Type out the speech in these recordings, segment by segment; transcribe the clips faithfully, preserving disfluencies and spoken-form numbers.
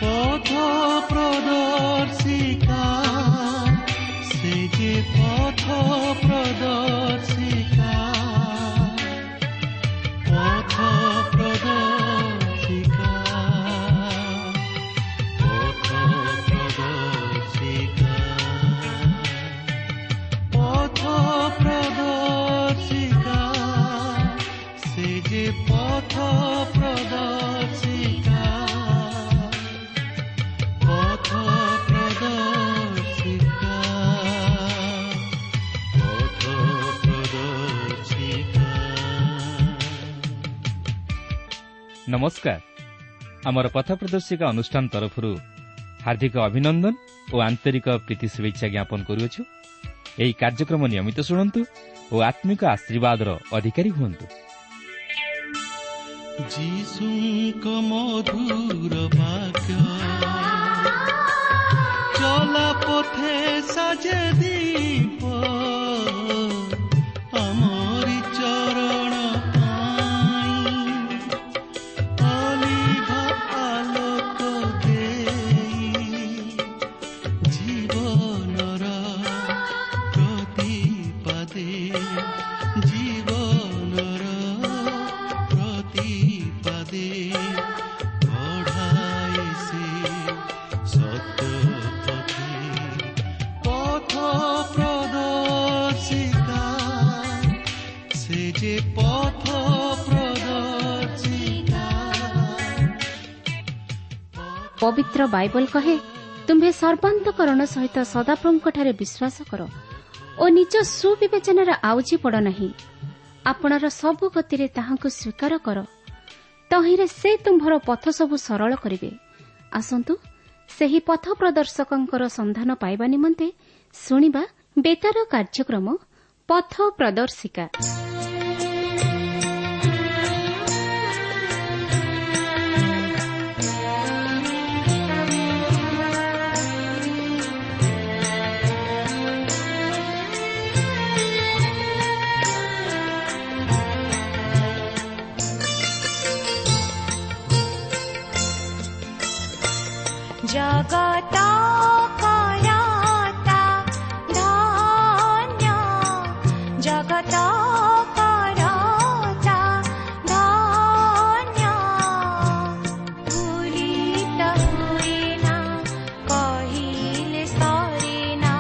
ପଥ ପ୍ରଦର୍ଶିକା, ସେ ଯେ ପଥ ପ୍ରଦର୍ଶିକା, ପଥ ପ୍ରଦର୍ଶିକା, ପଥ ପ୍ରଦର୍ଶିକା, ପଥ ପ୍ରଦର୍ଶିକା, ସେ ଯେ ପଥ ପ୍ରଦର୍ଶିକା, ପଥ ପ୍ରଦର୍ଶିକା, ପଥ ପ୍ରଦର୍ଶିକା। ନମସ୍କାର। ଆମର ପଥ ପ୍ରଦର୍ଶିକା ଅନୁଷ୍ଠାନ ତରଫରୁ ହାର୍ଦ୍ଦିକ ଅଭିନନ୍ଦନ ଓ ଆନ୍ତରିକ ପ୍ରୀତି ଶୁଭେଚ୍ଛା ଜ୍ଞାପନ କରୁଅଛୁ। ଏହି କାର୍ଯ୍ୟକ୍ରମ ନିୟମିତ ଶୁଣନ୍ତୁ ଓ ଆତ୍ମିକ ଆଶୀର୍ବାଦର ଅଧିକାରୀ ହୁଅନ୍ତୁ। ଯୀଶୁଙ୍କ ମଧୁର ବାକ୍ୟ ଚଲା ପଥେ ସାଜେ ଦୀପ, ଆମରି ଚରଣ ପାଇଁ ଅଲିଭ ଆଲୋକ ଦେଇ, ଜୀବନର ପ୍ରତିପାଦେ, ଜୀବନର ପ୍ରତିପାଦେ କଢ଼ାଏ ସେ ସତ୍ୟ ପଥେ। ପଥ ପ୍ରଦର୍ଶିକା, ସେ ଯେ ପଥ ପ୍ରଦର୍ଶିକା। ପବିତ୍ର ବାଇବଲ କହେ, ତୁମ୍ଭେ ସର୍ବାନ୍ତକରଣ ସହିତ ସଦାପ୍ରଭୁଙ୍କଠାରେ ବିଶ୍ୱାସ କର ଓ ନିଜ ସୁବିବେଚନାରେ ଆଉଜି ପଡ଼ ନାହିଁ। ଆପଣାର ସବୁ ଗତିରେ ତାହାଙ୍କୁ ସ୍ୱୀକାର କର, ତହିଁରେ ସେ ତୁମ୍ଭର ପଥ ସବୁ ସରଳ କରିବେ। ଆସନ୍ତୁ ସେହି ପଥ ପ୍ରଦର୍ଶକଙ୍କର ସନ୍ଧାନ ପାଇବା ନିମନ୍ତେ ଶୁଣିବା ବେତାର କାର୍ଯ୍ୟକ୍ରମ ପଥ ପ୍ରଦର୍ଶିକା। ଜଗତ କରତା ଧନ୍ୟ, ଜଗତ କରତା ଧନ୍ୟ, ଭୁଲିତ ହୁଏନା କହିଲେ ସରେନା,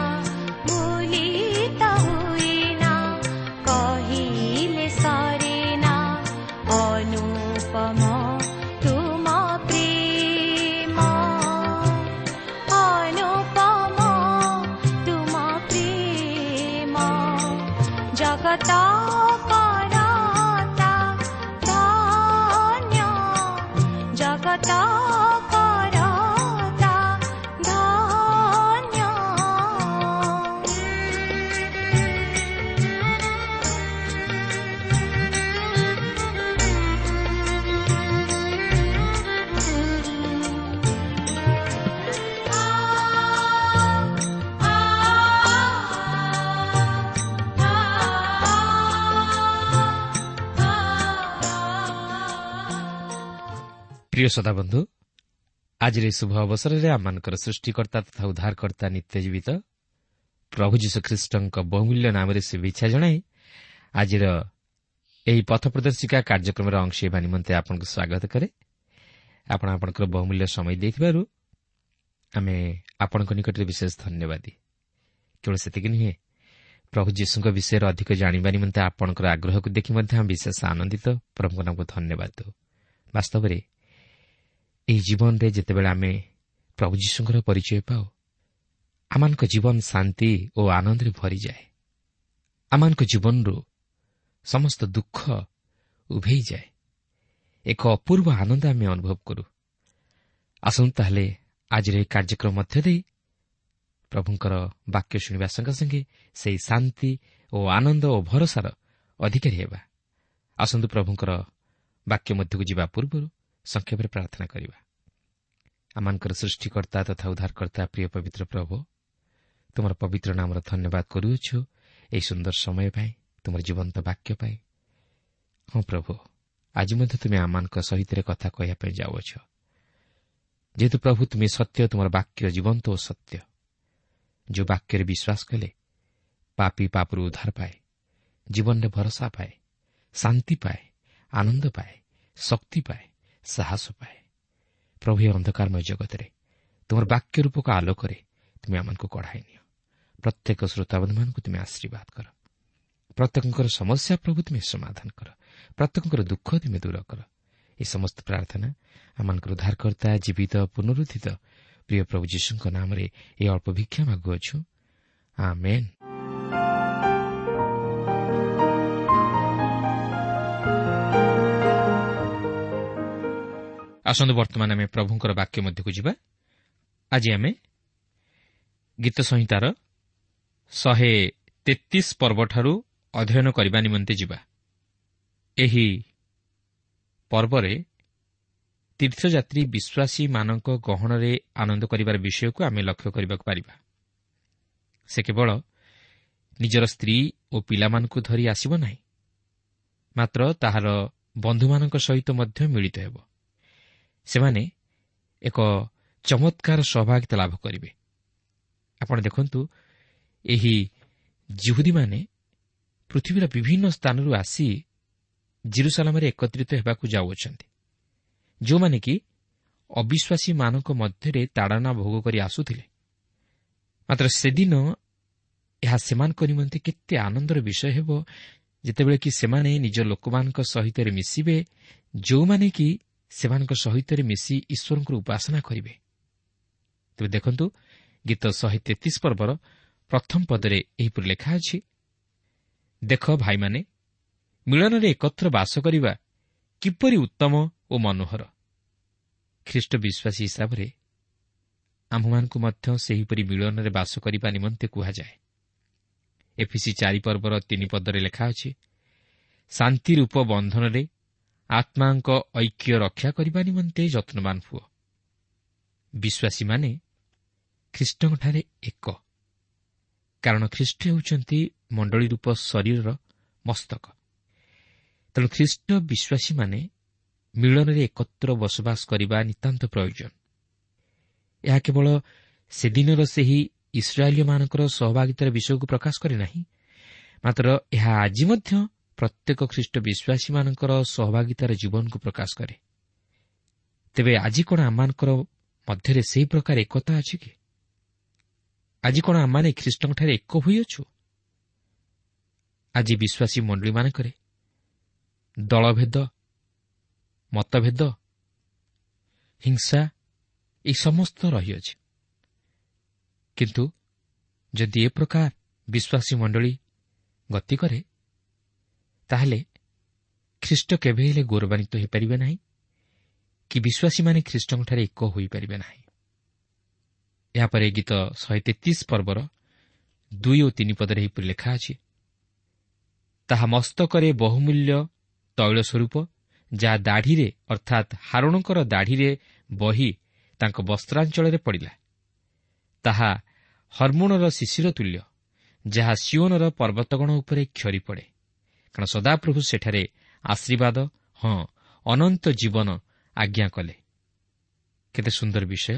ଭୁଲିତ ହୁଏନା କହିଲେ ସରେନା, ଅନୁପମ ତୁମ ପ୍ରେମ, ଅନୁପମ ତୁମ ପ୍ରେମ। ଜଗତ କରତା ଧନ୍ୟ, ଜଗତ କରତା ଧନ୍ୟ। ପ୍ରିୟ ଶ୍ରୋତାବନ୍ଧୁ, ଆଜିର ଏହି ଶୁଭ ଅବସରରେ ଆମମାନଙ୍କର ସୃଷ୍ଟିକର୍ତ୍ତା ତଥା ଉଦ୍ଧାରକର୍ତ୍ତା ନିତ୍ୟଜୀବିତ ପ୍ରଭୁ ଯୀଶୁଖ୍ରୀଷ୍ଟଙ୍କ ବହୁମୂଲ୍ୟ ନାମରେ ଶୁଭେଚ୍ଛା ଜଣାଇ ଆଜିର ଏହି ପଥ ପ୍ରଦର୍ଶିକା କାର୍ଯ୍ୟକ୍ରମର ଅଂଶ ହେବା ନିମନ୍ତେ ଆପଣଙ୍କୁ ସ୍ୱାଗତ କରେ। ଆପଣ ଆପଣଙ୍କର ବହୁମୂଲ୍ୟ ସମୟ ଦେଇଥିବାରୁ ଆମେ ଆପଣଙ୍କ ନିକଟରେ ବିଶେଷ ଧନ୍ୟବାଦୀ। କେବଳ ସେତିକି ନୁହେଁ, ପ୍ରଭୁ ଯୀଶୁଙ୍କ ବିଷୟରେ ଅଧିକ ଜାଣିବା ନିମନ୍ତେ ଆପଣଙ୍କର ଆଗ୍ରହକୁ ଦେଖି ମଧ୍ୟ ଆମେ ବିଶେଷ ଆନନ୍ଦିତ। ପ୍ରଭୁଙ୍କ ନାମକୁ ଧନ୍ୟବାଦ ଦେଉ। ବାସ୍ତବରେ ଏହି ଜୀବନରେ ଯେତେବେଳେ ଆମେ ପ୍ରଭୁ ଯୀଶୁଙ୍କର ପରିଚୟ ପାଉ, ଆମମାନଙ୍କ ଜୀବନ ଶାନ୍ତି ଓ ଆନନ୍ଦରେ ଭରିଯାଏ। ଆମମାନଙ୍କ ଜୀବନରୁ ସମସ୍ତ ଦୁଃଖ ଉଭେଇଯାଏ। ଏକ ଅପୂର୍ବ ଆନନ୍ଦ ଆମେ ଅନୁଭବ କରୁ। ଆସନ୍ତୁ ତାହେଲେ ଆଜିର ଏହି କାର୍ଯ୍ୟକ୍ରମ ମଧ୍ୟ ଦେଇ ପ୍ରଭୁଙ୍କର ବାକ୍ୟ ଶୁଣିବା ସଙ୍ଗେ ସଙ୍ଗେ ସେହି ଶାନ୍ତି ଓ ଆନନ୍ଦ ଓ ଭରସାର ଅଧିକାରୀ ହେବା। ଆସନ୍ତୁ ପ୍ରଭୁଙ୍କର ବାକ୍ୟ ମଧ୍ୟକୁ ଯିବା ପୂର୍ବରୁ ସଂକ୍ଷେପରେ ପ୍ରାର୍ଥନା କରିବା। ଆମମାନଙ୍କର ସୃଷ୍ଟିକର୍ତ୍ତା ତଥା ଉଦ୍ଧାରକର୍ତ୍ତା ପ୍ରିୟ ପବିତ୍ର ପ୍ରଭୁ, ତୁମର ପବିତ୍ର ନାମର ଧନ୍ୟବାଦ କରୁଅଛୁ ଏହି ସୁନ୍ଦର ସମୟ ପାଇଁ, ତୁମର ଜୀବନ୍ତ ବାକ୍ୟ ପାଇଁ। ହଁ ପ୍ରଭୁ, ଆଜି ମଧ୍ୟ ତୁମେ ଆମମାନଙ୍କ ସହିତ କଥା କହିବା ପାଇଁ ଯାଉଅଛ। ଯେହେତୁ ପ୍ରଭୁ ତୁମେ ସତ୍ୟ, ତୁମର ବାକ୍ୟ ଜୀବନ୍ତ ଓ ସତ୍ୟ। ଯେଉଁ ବାକ୍ୟରେ ବିଶ୍ୱାସ କଲେ ପାପୀ ପାପରୁ ଉଦ୍ଧାର ପାଏ, ଜୀବନରେ ଭରସା ପାଏ, ଶାନ୍ତି ପାଏ, ଆନନ୍ଦ ପାଏ, ଶକ୍ତି ପାଏ, ସାହସ ପାଏ। ପ୍ରଭୁ, ଏ ଅନ୍ଧକାରମୟ ଜଗତରେ ତୁମର ବାକ୍ୟ ରୂପକ ଆଲୋକରେ ତୁମେ ଆମମାନଙ୍କୁ କଢ଼ାଇ ନିଅ। ପ୍ରତ୍ୟେକ ଶ୍ରୋତାବନ୍ଧୁମାନଙ୍କୁ ତୁମେ ଆଶୀର୍ବାଦ କର। ପ୍ରତ୍ୟେକଙ୍କର ସମସ୍ୟା ପ୍ରଭୁ ତୁମେ ସମାଧାନ କର। ପ୍ରତ୍ୟେକଙ୍କର ଦୁଃଖ ତୁମେ ଦୂର କର। ଏ ସମସ୍ତ ପ୍ରାର୍ଥନା ଆମମାନଙ୍କର ଉଦ୍ଧାରକର୍ତ୍ତା ଜୀବିତ ପୁନରୁତ୍ଥିତ ପ୍ରିୟ ପ୍ରଭୁ ଯୀଶୁଙ୍କ ନାମରେ ଏ ଅଳ୍ପ ଭିକ୍ଷା ମାଗୁଅଛୁ, ଆମେନ୍। ଆସନ୍ତୁ ବର୍ତ୍ତମାନ ଆମେ ପ୍ରଭୁଙ୍କର ବାକ୍ୟ ମଧ୍ୟକୁ ଯିବା। ଆଜି ଆମେ ଗୀତ ସଂହିତାର ଶହେ ତେତିଶ ପର୍ବଠାରୁ ଅଧ୍ୟୟନ କରିବା ନିମନ୍ତେ ଯିବା। ଏହି ପର୍ବରେ ତୀର୍ଥଯାତ୍ରୀ ବିଶ୍ୱାସୀମାନଙ୍କ ଗହଣରେ ଆନନ୍ଦ କରିବାର ବିଷୟକୁ ଆମେ ଲକ୍ଷ୍ୟ କରିବାକୁ ପାରିବା। ସେ କେବଳ ନିଜର ସ୍ତ୍ରୀ ଓ ପିଲାମାନଙ୍କୁ ଧରି ଆସିବ ନାହିଁ, ମାତ୍ର ତାହାର ବନ୍ଧୁମାନଙ୍କ ସହିତ ମଧ୍ୟ ମିଳିତ ହେବ। ସେମାନେ ଏକ ଚମତ୍କାର ସହଭାଗିତା ଲାଭ କରିବେ। ଆପଣ ଦେଖନ୍ତୁ, ଏହି ଯିହୁଦୀମାନେ ପୃଥିବୀର ବିଭିନ୍ନ ସ୍ଥାନରୁ ଆସି ଜିରୁସାଲାମରେ ଏକତ୍ରିତ ହେବାକୁ ଯାଉଅଛନ୍ତି, ଯେଉଁମାନେ କି ଅବିଶ୍ୱାସୀମାନଙ୍କ ମଧ୍ୟରେ ତାଡ଼ନା ଭୋଗ କରି ଆସୁଥିଲେ। ମାତ୍ର ସେଦିନ ଏହା ସେମାନଙ୍କ ନିମନ୍ତେ କେତେ ଆନନ୍ଦର ବିଷୟ ହେବ, ଯେତେବେଳେ କି ସେମାନେ ନିଜ ଲୋକମାନଙ୍କ ସହିତ ମିଶିବେ, ଯେଉଁମାନେ କି ସେମାନଙ୍କ ସହିତ ମିଶି ଈଶ୍ୱରଙ୍କର ଉପାସନା କରିବେ। ତେବେ ଦେଖନ୍ତୁ, ଗୀତ ଶହେ ତେତିଶ ପର୍ବର ପ୍ରଥମ ପଦରେ ଏହିପରି ଲେଖା ଅଛି, ଦେଖ ଭାଇମାନେ, ମିଳନରେ ଏକତ୍ର ବାସ କରିବା କିପରି ଉତ୍ତମ ଓ ମନୋହର। ଖ୍ରୀଷ୍ଟ ବିଶ୍ୱାସୀ ହିସାବରେ ଆମ୍ଭମାନଙ୍କୁ ମଧ୍ୟ ସେହିପରି ମିଳନରେ ବାସ କରିବା ନିମନ୍ତେ କୁହାଯାଏ। ଏଫିସି ଚାରି ପର୍ବର ତିନି ପଦରେ ଲେଖା ଅଛି, ଶାନ୍ତି ରୂପ ବନ୍ଧନରେ ଆତ୍ମାଙ୍କ ଐକ୍ୟ ରକ୍ଷା କରିବା ନିମନ୍ତେ ଯତ୍ନବାନ ହୁଅ। ବିଶ୍ୱାସୀମାନେ ଖ୍ରୀଷ୍ଟଙ୍କଠାରେ ଏକ, କାରଣ ଖ୍ରୀଷ୍ଟ ହେଉଛନ୍ତି ମଣ୍ଡଳୀ ରୂପ ଶରୀରର ମସ୍ତକ। ତେଣୁ ଖ୍ରୀଷ୍ଟ ବିଶ୍ୱାସୀମାନେ ମିଳନରେ ଏକତ୍ର ବସବାସ କରିବା ନିତାନ୍ତ ପ୍ରୟୋଜନ। ଏହା କେବଳ ସେଦିନର ସେହି ଇସ୍ରାଏଲୀୟମାନଙ୍କର ସହଭାଗିତାର ବିଷୟକୁ ପ୍ରକାଶ କରେ ନାହିଁ, ମାତ୍ର ଏହା ଆଜି ମଧ୍ୟ ପ୍ରତ୍ୟେକ ଖ୍ରୀଷ୍ଟ ବିଶ୍ୱାସୀମାନଙ୍କର ସହଭାଗିତାର ଜୀବନକୁ ପ୍ରକାଶ କରେ। ତେବେ ଆଜି କ'ଣ ଆମମାନଙ୍କର ମଧ୍ୟରେ ସେହି ପ୍ରକାର ଏକତା ଅଛି କି? ଆଜି କ'ଣ ଆମମାନେ ଖ୍ରୀଷ୍ଟଙ୍କଠାରେ ଏକ ହୋଇଅଛୁ? ଆଜି ବିଶ୍ୱାସୀ ମଣ୍ଡଳୀମାନଙ୍କରେ ଦଳଭେଦ, ମତଭେଦ, ହିଂସା ଏହି ସମସ୍ତ ରହିଅଛି। କିନ୍ତୁ ଯଦି ଏ ପ୍ରକାର ବିଶ୍ୱାସୀ ମଣ୍ଡଳୀ ଗତି କରେ, ତାହେଲେ ଖ୍ରୀଷ୍ଟ କେବେ ହେଲେ ଗୌରବାନ୍ୱିତ ହୋଇପାରିବେ ନାହିଁ କି ବିଶ୍ୱାସୀମାନେ ଖ୍ରୀଷ୍ଟଙ୍କଠାରେ ଏକ ହୋଇପାରିବେ ନାହିଁ। ଏହାପରେ ଗୀତ ଶହେ ତେତିଶ ପର୍ବର ଦୁଇ ଓ ତିନି ପଦରେ ଏହିପରି ଲେଖା ଅଛି, ତାହା ମସ୍ତକରେ ବହୁମୂଲ୍ୟ ତୈଳ ସ୍ୱରୂପ, ଯାହା ଦାଢ଼ିରେ ଅର୍ଥାତ୍ ହାରୋଣଙ୍କର ଦାଢ଼ିରେ ବହି ତାଙ୍କ ବସ୍ତ୍ରାଞ୍ଚଳରେ ପଡ଼ିଲା, ତାହା ହର୍ମୋଣର ଶିଶିର ତୁଲ୍ୟ, ଯାହା ସିଓନର ପର୍ବତଗଣ ଉପରେ କ୍ଷରି ପଡ଼େ। କାରଣ ସଦାପ୍ରଭୁ ସେଠାରେ ଆଶୀର୍ବାଦ, ହଁ ଅନନ୍ତ ଜୀବନ ଆଜ୍ଞା କଲେ। କେତେ ସୁନ୍ଦର ବିଷୟ!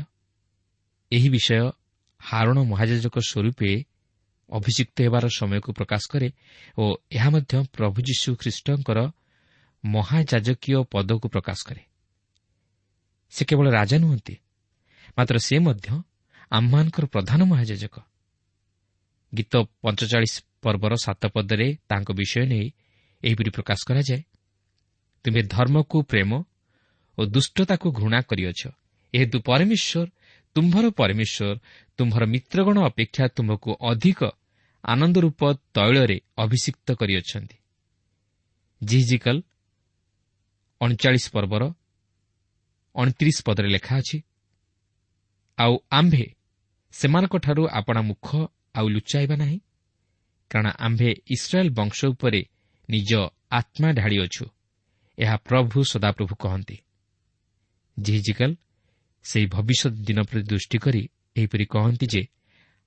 ଏହି ବିଷୟ ହାରୋଣ ମହାଯାଜକ ସ୍ୱରୂପେ ଅଭିଯୁକ୍ତ ହେବାର ସମୟକୁ ପ୍ରକାଶ କରେ ଓ ଏହା ମଧ୍ୟ ପ୍ରଭୁ ଯୀଶୁ ଖ୍ରୀଷ୍ଟଙ୍କର ମହାଯାଜକୀୟ ପଦକୁ ପ୍ରକାଶ କରେ। ସେ କେବଳ ରାଜା ନୁହନ୍ତି, ମାତ୍ର ସେ ମଧ୍ୟ ଆମ୍ଭମାନଙ୍କର ପ୍ରଧାନ ମହାଯାଜକ। ଗୀତ ପଞ୍ଚଚାଳିଶ ପର୍ବର ସାତ ପଦରେ ତାଙ୍କ ବିଷୟ ନେଇ ଏହିପରି ପ୍ରକାଶ କରାଯାଏ, ତୁମେ ଧର୍ମକୁ ପ୍ରେମ ଓ ଦୁଷ୍ଟତାକୁ ଘୃଣା କରିଅଛ, ଏହେତୁ ପରମେଶ୍ୱର ତୁମ୍ଭର ପରମେଶ୍ୱର ତୁମ୍ଭର ମିତ୍ରଗଣ ଅପେକ୍ଷା ତୁମ୍ଭକୁ ଅଧିକ ଆନନ୍ଦରୂପ ତୈଳରେ ଅଭିଷିକ୍ତ କରିଅଛନ୍ତି। ଯିହିଜିକଲ ଅଣଚାଳିଶ ପର୍ବର ଅଣତିରିଶ ପଦରେ ଲେଖା ଅଛି, ଆଉ ଆମ୍ଭେ ସେମାନଙ୍କଠାରୁ ଆପଣା ମୁଖ ଆଉ ଲୁଚାଇବା ନାହିଁ, କାରଣ ଆମ୍ଭେ ଇସ୍ରାଏଲ ବଂଶ ଉପରେ ନିଜ ଆତ୍ମା ଢାଳିଅଛୁ, ଏହା ପ୍ରଭୁ ସଦାପ୍ରଭୁ କହନ୍ତି। ଯିହିଜିକଲ ସେହି ଭବିଷ୍ୟତ ଦିନ ପ୍ରତି ଦୃଷ୍ଟି କରି ଏହିପରି କହନ୍ତି ଯେ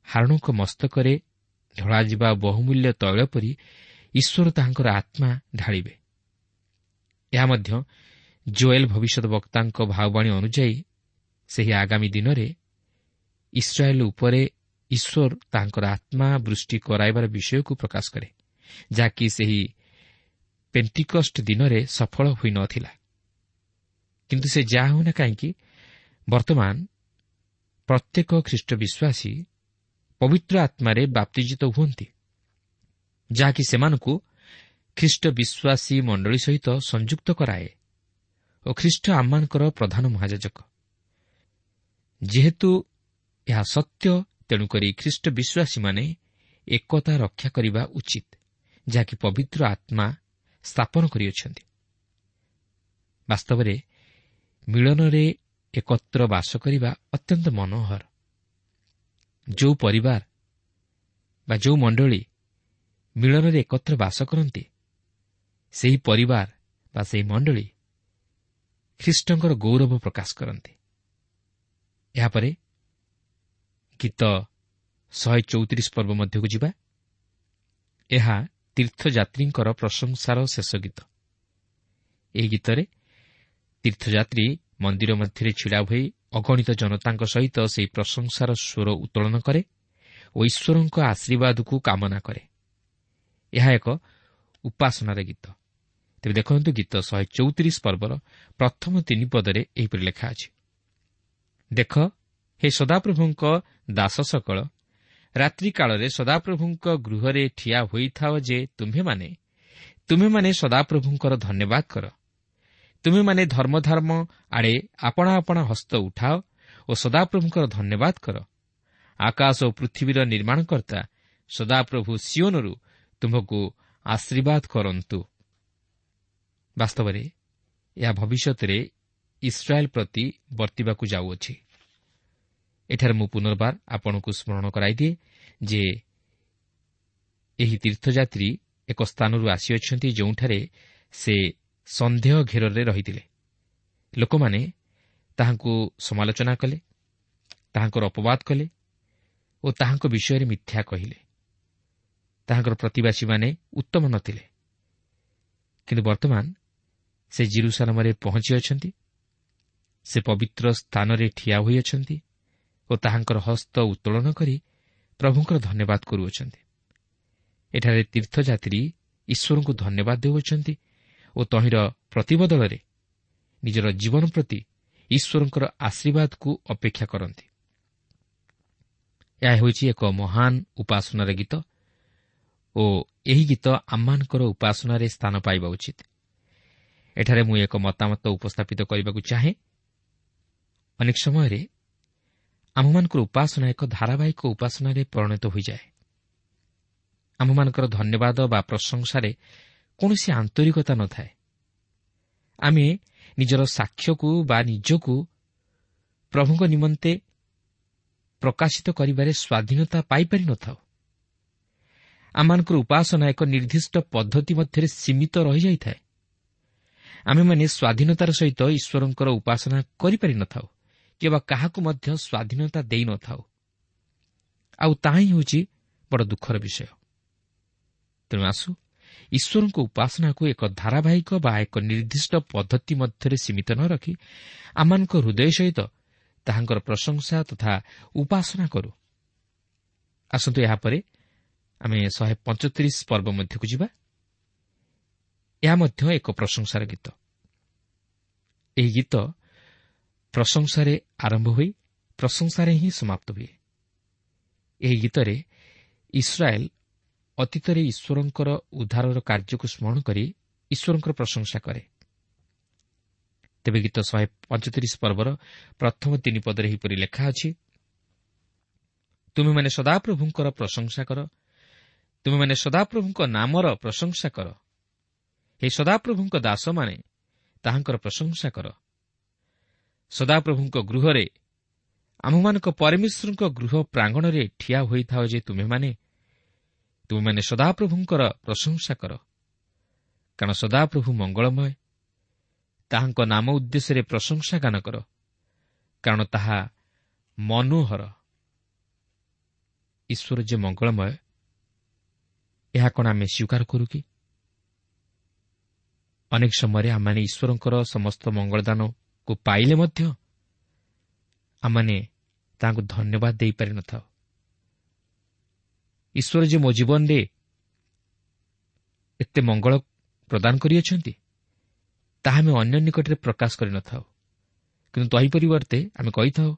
ହାରୋଣଙ୍କ ମସ୍ତକରେ ଢଳାଯିବା ବହୁମୂଲ୍ୟ ତୈଳ ପରି ଈଶ୍ୱର ତାହାଙ୍କର ଆତ୍ମା ଢାଳିବେ। ଏହା ମଧ୍ୟ ଜୋଏଲ ଭବିଷ୍ୟତ ବକ୍ତାଙ୍କ ଭାବବାଣୀ ଅନୁଯାୟୀ ସେହି ଆଗାମୀ ଦିନରେ ଇସ୍ରାଏଲ୍ ଉପରେ ଈଶ୍ୱର ତାଙ୍କର ଆତ୍ମା ବୃଷ୍ଟି କରାଇବାର ବିଷୟକୁ ପ୍ରକାଶ କରେ, ଯାହାକି ସେହି ପେଣ୍ଟିକଷ୍ଟ ଦିନରେ ସଫଳ ହୋଇନଥିଲା। କିନ୍ତୁ ସେ ଯାହା ହେଉନା କାହିଁକି, ବର୍ତ୍ତମାନ ପ୍ରତ୍ୟେକ ଖ୍ରୀଷ୍ଟ ବିଶ୍ୱାସୀ ପବିତ୍ର ଆତ୍ମାରେ ବାପ୍ତିଜିତ ହୁଅନ୍ତି, ଯାହାକି ସେମାନଙ୍କୁ ଖ୍ରୀଷ୍ଟ ବିଶ୍ୱାସୀ ମଣ୍ଡଳୀ ସହିତ ସଂଯୁକ୍ତ କରାଏ ଓ ଖ୍ରୀଷ୍ଟ ଆମମାନଙ୍କର ପ୍ରଧାନ ମହାଯାଜକ। ଯେହେତୁ ଏହା ସତ୍ୟ, ତେଣୁକରି ଖ୍ରୀଷ୍ଟ ବିଶ୍ୱାସୀମାନେ ଏକତା ରକ୍ଷା କରିବା ଉଚିତ, ଯାହାକି ପବିତ୍ର ଆତ୍ମା ସ୍ଥାପନ କରିଅଛନ୍ତି। ବାସ୍ତବରେ ମିଳନରେ ଏକତ୍ର ବାସ କରିବା ଅତ୍ୟନ୍ତ ମନୋହର। ଯେଉଁ ପରିବାର ବା ଯେଉଁ ମଣ୍ଡଳୀ ମିଳନରେ ଏକତ୍ର ବାସ କରନ୍ତି, ସେହି ପରିବାର ବା ସେହି ମଣ୍ଡଳୀ ଖ୍ରୀଷ୍ଟଙ୍କର ଗୌରବ ପ୍ରକାଶ କରନ୍ତି। ଏହାପରେ ଗୀତ ଶହେ ଚଉତିରିଶ ପର୍ବ ମଧ୍ୟକୁ ଯିବା। ଏହା ତୀର୍ଥଯାତ୍ରୀଙ୍କର ପ୍ରଶଂସାର ଶେଷ ଗୀତ। ଏହି ଗୀତରେ ତୀର୍ଥଯାତ୍ରୀ ମନ୍ଦିର ମଧ୍ୟରେ ଛିଡ଼ା ହୋଇ ଅଗଣିତ ଜନତାଙ୍କ ସହିତ ସେହି ପ୍ରଶଂସାର ସ୍ୱର ଉତ୍ତୋଳନ କରେ ଓ ଈଶ୍ୱରଙ୍କ ଆଶୀର୍ବାଦକୁ କାମନା କରେ। ଏହା ଏକ ଉପାସନାର ଗୀତ। ତେବେ ଦେଖନ୍ତୁ, ଗୀତ ଶହେ ଚଉତିରିଶ ପର୍ବର ପ୍ରଥମ ତିନି ପଦରେ ଏହିପରି ଲେଖା ଅଛି, ଦେଖ ହେ ସଦାପ୍ରଭୁଙ୍କ ଦାସ ସକଳ, ରାତ୍ରିକାଳରେ ସଦାପ୍ରଭୁଙ୍କ ଗୃହରେ ଠିଆ ହୋଇଥାଅ ଯେ ତୁମ୍ଭେମାନେ ତୁମ୍ଭେମାନେ ସଦାପ୍ରଭୁଙ୍କର ଧନ୍ୟବାଦ କର। ତୁମେମାନେ ଧର୍ମଧର୍ମ ଆଡ଼େ ଆପଣା ଆପଣା ହସ୍ତ ଉଠାଅ ଓ ସଦାପ୍ରଭୁଙ୍କର ଧନ୍ୟବାଦ କର। ଆକାଶ ଓ ପୃଥିବୀର ନିର୍ମାଣକର୍ତ୍ତା ସଦାପ୍ରଭୁ ସିଓନରୁ ତୁମ୍ଭକୁ ଆଶୀର୍ବାଦ କରନ୍ତୁ। ବାସ୍ତବରେ ଏହା ଭବିଷ୍ୟତରେ ଇସ୍ରାଏଲ୍ ପ୍ରତି ବର୍ତ୍ତିବାକୁ ଯାଉଅଛି। ଏଠାରେ ମୁଁ ପୁନର୍ବାର ଆପଣଙ୍କୁ ସ୍ମରଣ କରାଇଦିଏ ଯେ ଏହି ତୀର୍ଥଯାତ୍ରୀ ଏକ ସ୍ଥାନରୁ ଆସିଅଛନ୍ତି ଯେଉଁଠାରେ ସେ ସନ୍ଦେହ ଘେରରେ ରହିଥିଲେ। ଲୋକମାନେ ତାହାଙ୍କୁ ସମାଲୋଚନା କଲେ, ତାହାଙ୍କର ଅପବାଦ କଲେ ଓ ତାହାଙ୍କ ବିଷୟରେ ମିଥ୍ୟା କହିଲେ। ତାହାଙ୍କର ପ୍ରତିବାସୀମାନେ ଉତ୍ତମ ନଥିଲେ। କିନ୍ତୁ ବର୍ତ୍ତମାନ ସେ ଜିରୁସାଲମରେ ପହଞ୍ଚିଅଛନ୍ତି। ସେ ପବିତ୍ର ସ୍ଥାନରେ ଠିଆ ହୋଇଅଛନ୍ତି ଓ ତାହାଙ୍କର ହସ୍ତ ଉତ୍ତୋଳନ କରି ପ୍ରଭୁଙ୍କର ଧନ୍ୟବାଦ କରୁଅଛନ୍ତି। ଏଠାରେ ତୀର୍ଥଯାତ୍ରୀ ଈଶ୍ୱରଙ୍କୁ ଧନ୍ୟବାଦ ଦେଉଅଛନ୍ତି ଓ ତହିଁର ପ୍ରତିବଦଳରେ ନିଜର ଜୀବନ ପ୍ରତି ଈଶ୍ୱରଙ୍କର ଆଶୀର୍ବାଦକୁ ଅପେକ୍ଷା କରନ୍ତି। ଏହା ହେଉଛି ଏକ ମହାନ ଉପାସନାର ଗୀତ ଓ ଏହି ଗୀତ ଆମମାନଙ୍କର ଉପାସନାରେ ସ୍ଥାନ ପାଇବା ଉଚିତ। ଏଠାରେ ମୁଁ ଏକ ମତାମତ ଉପସ୍ଥାପିତ କରିବାକୁ ଚାହେଁ। ଅନେକ ସମୟରେ ଆମମାନଙ୍କର ଉପାସନା ଏକ ଧାରାବାହିକ ଉପାସନାରେ ପରିଣତ ହୋଇଯାଏ। ଆମମାନଙ୍କର ଧନ୍ୟବାଦ ବା ପ୍ରଶଂସାରେ କୌଣସି ଆନ୍ତରିକତା ନଥାଏ। ଆମେ ନିଜର ସାକ୍ଷ୍ୟକୁ ବା ନିଜକୁ ପ୍ରଭୁଙ୍କ ନିମନ୍ତେ ପ୍ରକାଶିତ କରିବାରେ ସ୍ୱାଧୀନତା ପାଇପାରିନଥାଉ। ଆମମାନଙ୍କର ଉପାସନା ଏକ ନିର୍ଦ୍ଦିଷ୍ଟ ପଦ୍ଧତି ମଧ୍ୟରେ ସୀମିତ ରହିଯାଇଥାଏ। ଆମେମାନେ ସ୍ୱାଧୀନତାର ସହିତ ଈଶ୍ୱରଙ୍କର ଉପାସନା କରିପାରିନଥାଉ କିମ୍ବା କାହାକୁ ମଧ୍ୟ ସ୍ୱାଧୀନତା ଦେଇନଥାଉ। ଆଉ ତାହା ହିଁ ହେଉଛି ବଡ଼ ଦୁଃଖର ବିଷୟ। ତେଣୁ ଆସୁ ଈଶ୍ୱରଙ୍କ ଉପାସନାକୁ ଏକ ଧାରାବାହିକ ବା ଏକ ନିର୍ଦ୍ଦିଷ୍ଟ ପଦ୍ଧତି ମଧ୍ୟରେ ସୀମିତ ନ ରଖି ଆମମାନଙ୍କ ହୃଦୟ ସହିତ ତାହାଙ୍କର ପ୍ରଶଂସା ତଥା ଉପାସନା କରୁ। ଆସନ୍ତୁ ଏହାପରେ ଆମେ ଶହେ ପଞ୍ଚତିରିଶ ପର୍ବ ମଧ୍ୟକୁ ଯିବା। ଏହା ମଧ୍ୟ ଏକ ପ୍ରଶଂସାର ଗୀତ। ଏହି ଗୀତ ପ୍ରଶଂସାରେ ଆରମ୍ଭ ହୋଇ ପ୍ରଶଂସାରେ ହିଁ ସମାପ୍ତ ହୁଏ। ଏହି ଗୀତରେ ଇସ୍ରାଏଲ୍ ଅତୀତରେ ଈଶ୍ୱରଙ୍କର ଉଦ୍ଧାରର କାର୍ଯ୍ୟକୁ ସ୍ମରଣ କରି ଈଶ୍ୱରଙ୍କର ପ୍ରଶଂସା କରେ। ତେବେ ଗୀତ ଶହେ ପଞ୍ଚତିରିଶ ପର୍ବର ପ୍ରଥମ ତିନି ପଦରେ ଏହିପରି ଲେଖା ଅଛି, ତୁମେମାନେ ସଦାପ୍ରଭୁଙ୍କର ପ୍ରଶଂସା କର, ତୁମେମାନେ ସଦାପ୍ରଭୁଙ୍କ ନାମର ପ୍ରଶଂସା କର। ହେ ସଦାପ୍ରଭୁଙ୍କ ଦାସମାନେ, ତାହାଙ୍କର ପ୍ରଶଂସା କର। ସଦାପ୍ରଭୁଙ୍କ ଗୃହରେ, ଆମ୍ଭମାନଙ୍କ ପରମେଶ୍ୱରଙ୍କ ଗୃହ ପ୍ରାଙ୍ଗଣରେ ଠିଆ ହୋଇଥାଅ ଯେ ତୁମେମାନେ, ତୁମେମାନେ ସଦାପ୍ରଭୁଙ୍କର ପ୍ରଶଂସା କର। କାରଣ ସଦାପ୍ରଭୁ ମଙ୍ଗଳମୟ, ତାହାଙ୍କ ନାମ ଉଦ୍ଦେଶ୍ୟରେ ପ୍ରଶଂସା ଗାନ କର, କାରଣ ତାହା ମନୋହର। ଈଶ୍ୱର ଯେ ମଙ୍ଗଳମୟ, ଏହା କ'ଣ ଆମେ ସ୍ୱୀକାର କରୁ କି? ଅନେକ ସମୟରେ ଆମମାନେ ଈଶ୍ୱରଙ୍କର ସମସ୍ତ ମଙ୍ଗଳଦାନକୁ ପାଇଲେ ମଧ୍ୟ ଆମମାନେ ତାଙ୍କୁ ଧନ୍ୟବାଦ ଦେଇପାରିନଥାଉ। ଈଶ୍ୱର ଯେ ମୋ ଜୀବନରେ ଏତେ ମଙ୍ଗଳ ପ୍ରଦାନ କରିଅଛନ୍ତି ତାହା ଆମେ ଅନ୍ୟ ନିକଟରେ ପ୍ରକାଶ କରିନଥାଉ, କିନ୍ତୁ ତହିଁ ପରିବର୍ତ୍ତେ ଆମେ କହିଥାଉ,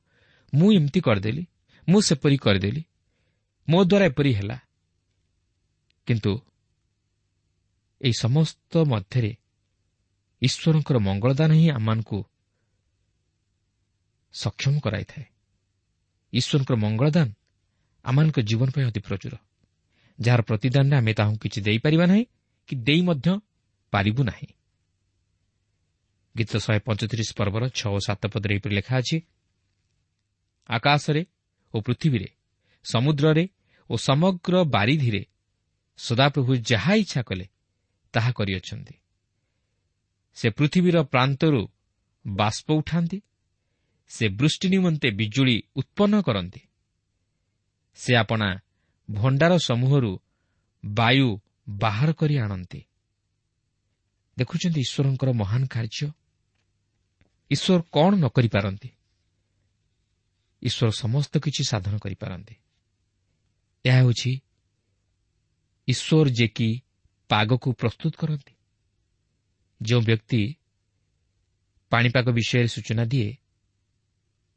ମୁଁ ଏମିତି କରିଦେଲି, ମୁଁ ସେପରି କରିଦେଲି, ମୋ ଦ୍ୱାରା ଏପରି ହେଲା। କିନ୍ତୁ ଏହି ସମସ୍ତ ମଧ୍ୟରେ ଈଶ୍ୱରଙ୍କର ମଙ୍ଗଳଦାନ ହିଁ ଆମମାନଙ୍କୁ ସକ୍ଷମ କରାଇଥାଏ। ଈଶ୍ୱରଙ୍କର ମଙ୍ଗଳଦାନ ଆମମାନଙ୍କ ଜୀବନ ପାଇଁ ଅତି ପ୍ରଚୁର, ଯାହାର ପ୍ରତିଦାନରେ ଆମେ ତାହାଙ୍କୁ କିଛି ଦେଇପାରିବା ନାହିଁ କି ଦେଇ ମଧ୍ୟ ପାରିବୁ ନାହିଁ। ଗୀତ ଶହେ ପଞ୍ଚତିରିଶ ପର୍ବର ଛଅ ଓ ସାତ ପଦରେ ଏହିପରି ଲେଖା ଅଛି, ଆକାଶରେ ଓ ପୃଥିବୀରେ, ସମୁଦ୍ରରେ ଓ ସମଗ୍ର ବାରିଧିରେ ସଦାପ୍ରଭୁ ଯାହା ଇଚ୍ଛା କଲେ ତାହା କରିଅଛନ୍ତି। ସେ ପୃଥିବୀର ପ୍ରାନ୍ତରୁ ବାଷ୍ପ ଉଠାନ୍ତି, ସେ ବୃଷ୍ଟି ନିମନ୍ତେ ବିଜୁଳି ଉତ୍ପନ୍ନ କରନ୍ତି, ସେ ଆପଣା ଭଣ୍ଡାର ସମୂହରୁ ବାୟୁ ବାହାର କରି ଆଣନ୍ତି। ଦେଖୁଛନ୍ତି ଈଶ୍ୱରଙ୍କର ମହାନ କାର୍ଯ୍ୟ। ଈଶ୍ୱର କ'ଣ ନ କରିପାରନ୍ତି? ଈଶ୍ୱର ସମସ୍ତ କିଛି ସାଧନ କରିପାରନ୍ତି। ଏହା ହେଉଛି ଈଶ୍ୱର ଯେ କି ପାଗକୁ ପ୍ରସ୍ତୁତ କରନ୍ତି। ଯେଉଁ ବ୍ୟକ୍ତି ପାଣିପାଗ ବିଷୟରେ ସୂଚନା ଦିଏ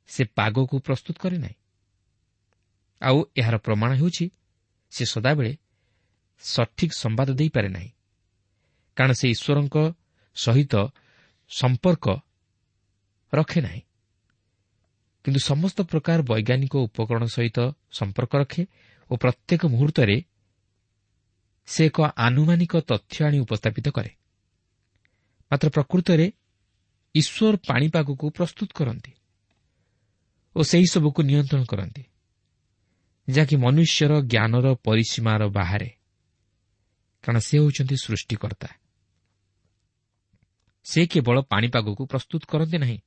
ସେ ପାଗକୁ ପ୍ରସ୍ତୁତ କରେ ନାହିଁ, ଆଉ ଏହାର ପ୍ରମାଣ ହେଉଛି ସେ ସଦାବେଳେ ସଠିକ୍ ସମ୍ବାଦ ଦେଇପାରେ ନାହିଁ, କାରଣ ସେ ଈଶ୍ୱରଙ୍କ ସହିତ ସମ୍ପର୍କ ରଖେ ନାହିଁ, କିନ୍ତୁ ସମସ୍ତ ପ୍ରକାର ବୈଜ୍ଞାନିକ ଉପକରଣ ସହିତ ସମ୍ପର୍କ ରଖେ ଓ ପ୍ରତ୍ୟେକ ମୁହୂର୍ତ୍ତରେ ସେ ଏକ ଆନୁମାନିକ ତଥ୍ୟ ଆଣି ଉପସ୍ଥାପିତ କରେ। ମାତ୍ର ପ୍ରକୃତରେ ଈଶ୍ୱର ପାଣିପାଗକୁ ପ୍ରସ୍ତୁତ କରନ୍ତି ଓ ସେହି ସବୁକୁ ନିୟନ୍ତ୍ରଣ କରନ୍ତି, ଯାହାକି ମନୁଷ୍ୟର ଜ୍ଞାନର ପରିସୀମାର ବାହାରେ, କାରଣ ସେ ହେଉଛନ୍ତି ସୃଷ୍ଟିକର୍ତ୍ତା। ସେ କେବଳ ପାଣିପାଗକୁ ପ୍ରସ୍ତୁତ କରନ୍ତି ନାହିଁ,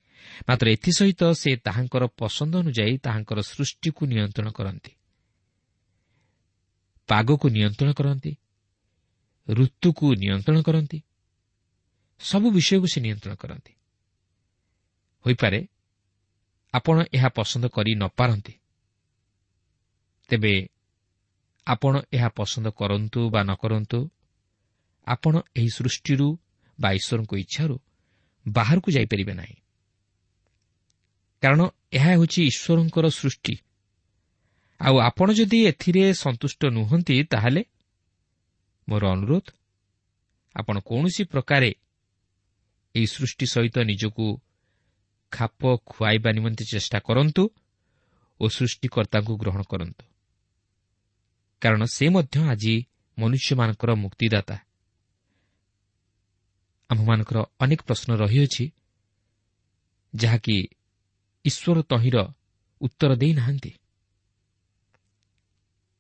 ମାତ୍ର ଏଥିସହିତ ସେ ତାହାଙ୍କର ପସନ୍ଦ ଅନୁଯାୟୀ ତାହାଙ୍କର ସୃଷ୍ଟିକୁ ନିୟନ୍ତ୍ରଣ କରନ୍ତି, ପାଗକୁ ନିୟନ୍ତ୍ରଣ କରନ୍ତି, ଋତୁକୁ ନିୟନ୍ତ୍ରଣ କରନ୍ତି, ସବୁ ବିଷୟକୁ ସେ ନିୟନ୍ତ୍ରଣ କରନ୍ତି। ହୋଇପାରେ ଆପଣ ଏହା ପସନ୍ଦ କରି ନପାରନ୍ତି, ତେବେ ଆପଣ ଏହା ପସନ୍ଦ କରନ୍ତୁ ବା ନ କରନ୍ତୁ, ଆପଣ ଏହି ସୃଷ୍ଟିରୁ ବା ଈଶ୍ୱରଙ୍କ ଇଚ୍ଛାରୁ ବାହାରକୁ ଯାଇପାରିବେ ନାହିଁ, କାରଣ ଏହା ହେଉଛି ଈଶ୍ୱରଙ୍କର ସୃଷ୍ଟି। ଆଉ ଆପଣ ଯଦି ଏଥିରେ ସନ୍ତୁଷ୍ଟ ନୁହନ୍ତି, ତାହେଲେ ମୋର ଅନୁରୋଧ, ଆପଣ କୌଣସି ପ୍ରକାରେ ଏହି ସୃଷ୍ଟି ସହିତ ନିଜକୁ ଖାପ ଖୁଆଇବା ନିମନ୍ତେ ଚେଷ୍ଟା କରନ୍ତୁ ଓ ସୃଷ୍ଟିକର୍ତ୍ତାଙ୍କୁ ଗ୍ରହଣ କରନ୍ତୁ, କାରଣ ସେ ମଧ୍ୟ ଆଜି ମନୁଷ୍ୟମାନଙ୍କର ମୁକ୍ତିଦାତା। ଆମ୍ଭମାନଙ୍କର ଅନେକ ପ୍ରଶ୍ନ ରହିଅଛି, ଯାହାକି ଈଶ୍ୱର ତହିଁର ଉତ୍ତର ଦେଇନାହାନ୍ତି।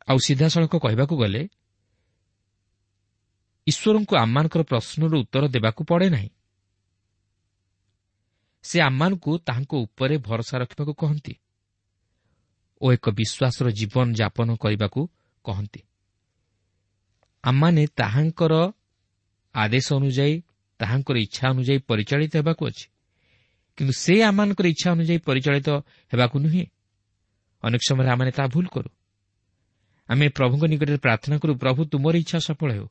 ଆଉ ସିଧାସଳଖ କହିବାକୁ ଗଲେ ଈଶ୍ୱରଙ୍କୁ ଆମମାନଙ୍କର ପ୍ରଶ୍ନର ଉତ୍ତର ଦେବାକୁ ପଡ଼େ ନାହିଁ। ସେ ଆମମାନଙ୍କୁ ତାହାଙ୍କ ଉପରେ ଭରସା ରଖିବାକୁ କହନ୍ତି ଓ ଏକ ବିଶ୍ୱାସର ଜୀବନ ଯାପନ କରିବାକୁ କହନ୍ତି। ଆମମାନେ ତାହାଙ୍କର ଆଦେଶ ଅନୁଯାୟୀ, ତାହାଙ୍କର ଇଚ୍ଛା ଅନୁଯାୟୀ ପରିଚାଳିତ ହେବାକୁ ଅଛି, କିନ୍ତୁ ସେ ଆମମାନଙ୍କର ଇଚ୍ଛା ଅନୁଯାୟୀ ପରିଚାଳିତ ହେବାକୁ ନୁହେଁ। ଅନେକ ସମୟରେ ଆମମାନେ ତାହା ଭୁଲ କରୁ। ଆମେ ପ୍ରଭୁଙ୍କ ନିକଟରେ ପ୍ରାର୍ଥନା କରୁ, ପ୍ରଭୁ ତୁମର ଇଚ୍ଛା ସଫଳ ହେଉ,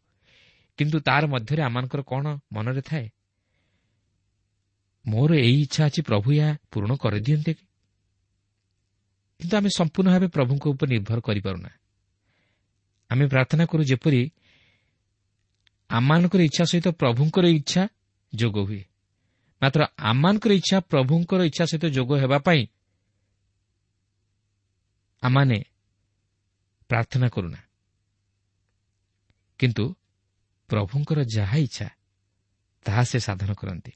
କିନ୍ତୁ ତାର ମଧ୍ୟରେ ଆମମାନଙ୍କର କ'ଣ ମନରେ ଥାଏ? ମୋର ଏଇ ଇଚ୍ଛା ଅଛି, ପ୍ରଭୁ ଏହା ପୂରଣ କରିଦିଅନ୍ତେ କି? କିନ୍ତୁ ଆମେ ସମ୍ପୂର୍ଣ୍ଣ ଭାବେ ପ୍ରଭୁଙ୍କ ଉପରେ ନିର୍ଭର କରିପାରୁନା। ଆମେ ପ୍ରାର୍ଥନା କରୁ ଯେପରି ଆମମାନଙ୍କର ଇଚ୍ଛା ସହିତ ପ୍ରଭୁଙ୍କର ଇଚ୍ଛା ଯୋଗ ହୁଏ, ମାତ୍ର ଆମମାନଙ୍କର ଇଚ୍ଛା ପ୍ରଭୁଙ୍କର ଇଚ୍ଛା ସହିତ ଯୋଗ ହେବା ପାଇଁ ଆମମାନେ ପ୍ରାର୍ଥନା କରୁନା। କିନ୍ତୁ ପ୍ରଭୁଙ୍କର ଯାହା ଇଚ୍ଛା ତାହା ସେ ସାଧନ କରନ୍ତି।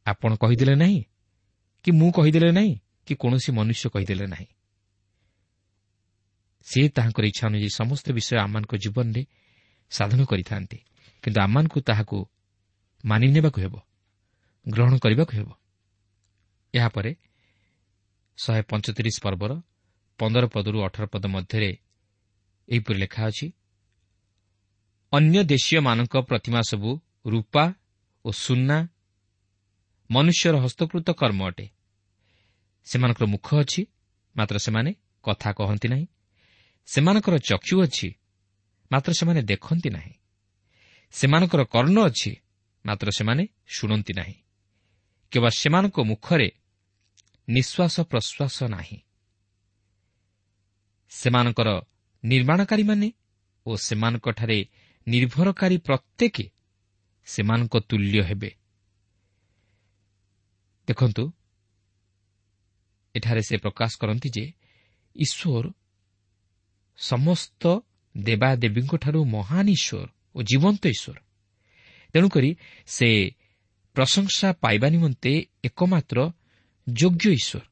ଆପଣ କହିଦେଲେ ନାହିଁ କି ମୁଁ କହିଦେଲେ ନାହିଁ କି କୌଣସି ମନୁଷ୍ୟ କହିଦେଲେ ନାହିଁ, ସେ ତାହାଙ୍କର ଇଚ୍ଛା ଅନୁଯାୟୀ ସମସ୍ତ ବିଷୟ ଆମମାନଙ୍କ ଜୀବନରେ ସାଧନ କରିଥାନ୍ତି, କିନ୍ତୁ ଆମମାନଙ୍କୁ ତାହାକୁ ମାନି ନେବାକୁ ହେବ, ଗ୍ରହଣ କରିବାକୁ ହେବ। ଏହାପରେ ଶହେ ପଞ୍ଚତିରିଶ ପର୍ବର ପନ୍ଦର ପଦରୁ ଅଠର ପଦ ମଧ୍ୟରେ ଏହିପରି ଲେଖା ଅଛି, ଅନ୍ୟ ଦେଶୀୟମାନଙ୍କ ପ୍ରତିମା ସବୁ ରୂପା ଓ ସୁନା ମନୁଷ୍ୟର ହସ୍ତକୃତ କର୍ମ ଅଟେ। ସେମାନଙ୍କର ମୁଖ ଅଛି, ମାତ୍ର ସେମାନେ କଥା କହନ୍ତି ନାହିଁ। ସେମାନଙ୍କର ଚକ୍ଷୁ ଅଛି, ମାତ୍ର ସେମାନେ ଦେଖନ୍ତି ନାହିଁ। ସେମାନଙ୍କର କର୍ଣ୍ଣ ଅଛି, ମାତ୍ର ସେମାନେ ଶୁଣନ୍ତି ନାହିଁ। କିମ୍ବା ସେମାନଙ୍କ ମୁଖରେ ନିଶ୍ୱାସ ପ୍ରଶ୍ୱାସ ନାହିଁ। ସେମାନଙ୍କର ନିର୍ମାଣକାରୀମାନେ ଓ ସେମାନଙ୍କଠାରେ ନିର୍ଭରକାରୀ ପ୍ରତ୍ୟେକ ସେମାନଙ୍କ ତୁଲ୍ୟ ହେବେ। ଦେଖନ୍ତୁ, ଏଠାରେ ସେ ପ୍ରକାଶ କରନ୍ତି ଯେ ଈଶ୍ୱର ସମସ୍ତ ଦେବାଦେବୀଙ୍କଠାରୁ ମହାନ ଈଶ୍ୱର ଓ ଜୀବନ୍ତ ଈଶ୍ୱର। ତେଣୁକରି ସେ ପ୍ରଶଂସା ପାଇବା ନିମନ୍ତେ ଏକମାତ୍ର ଯୋଗ୍ୟ ଈଶ୍ୱର।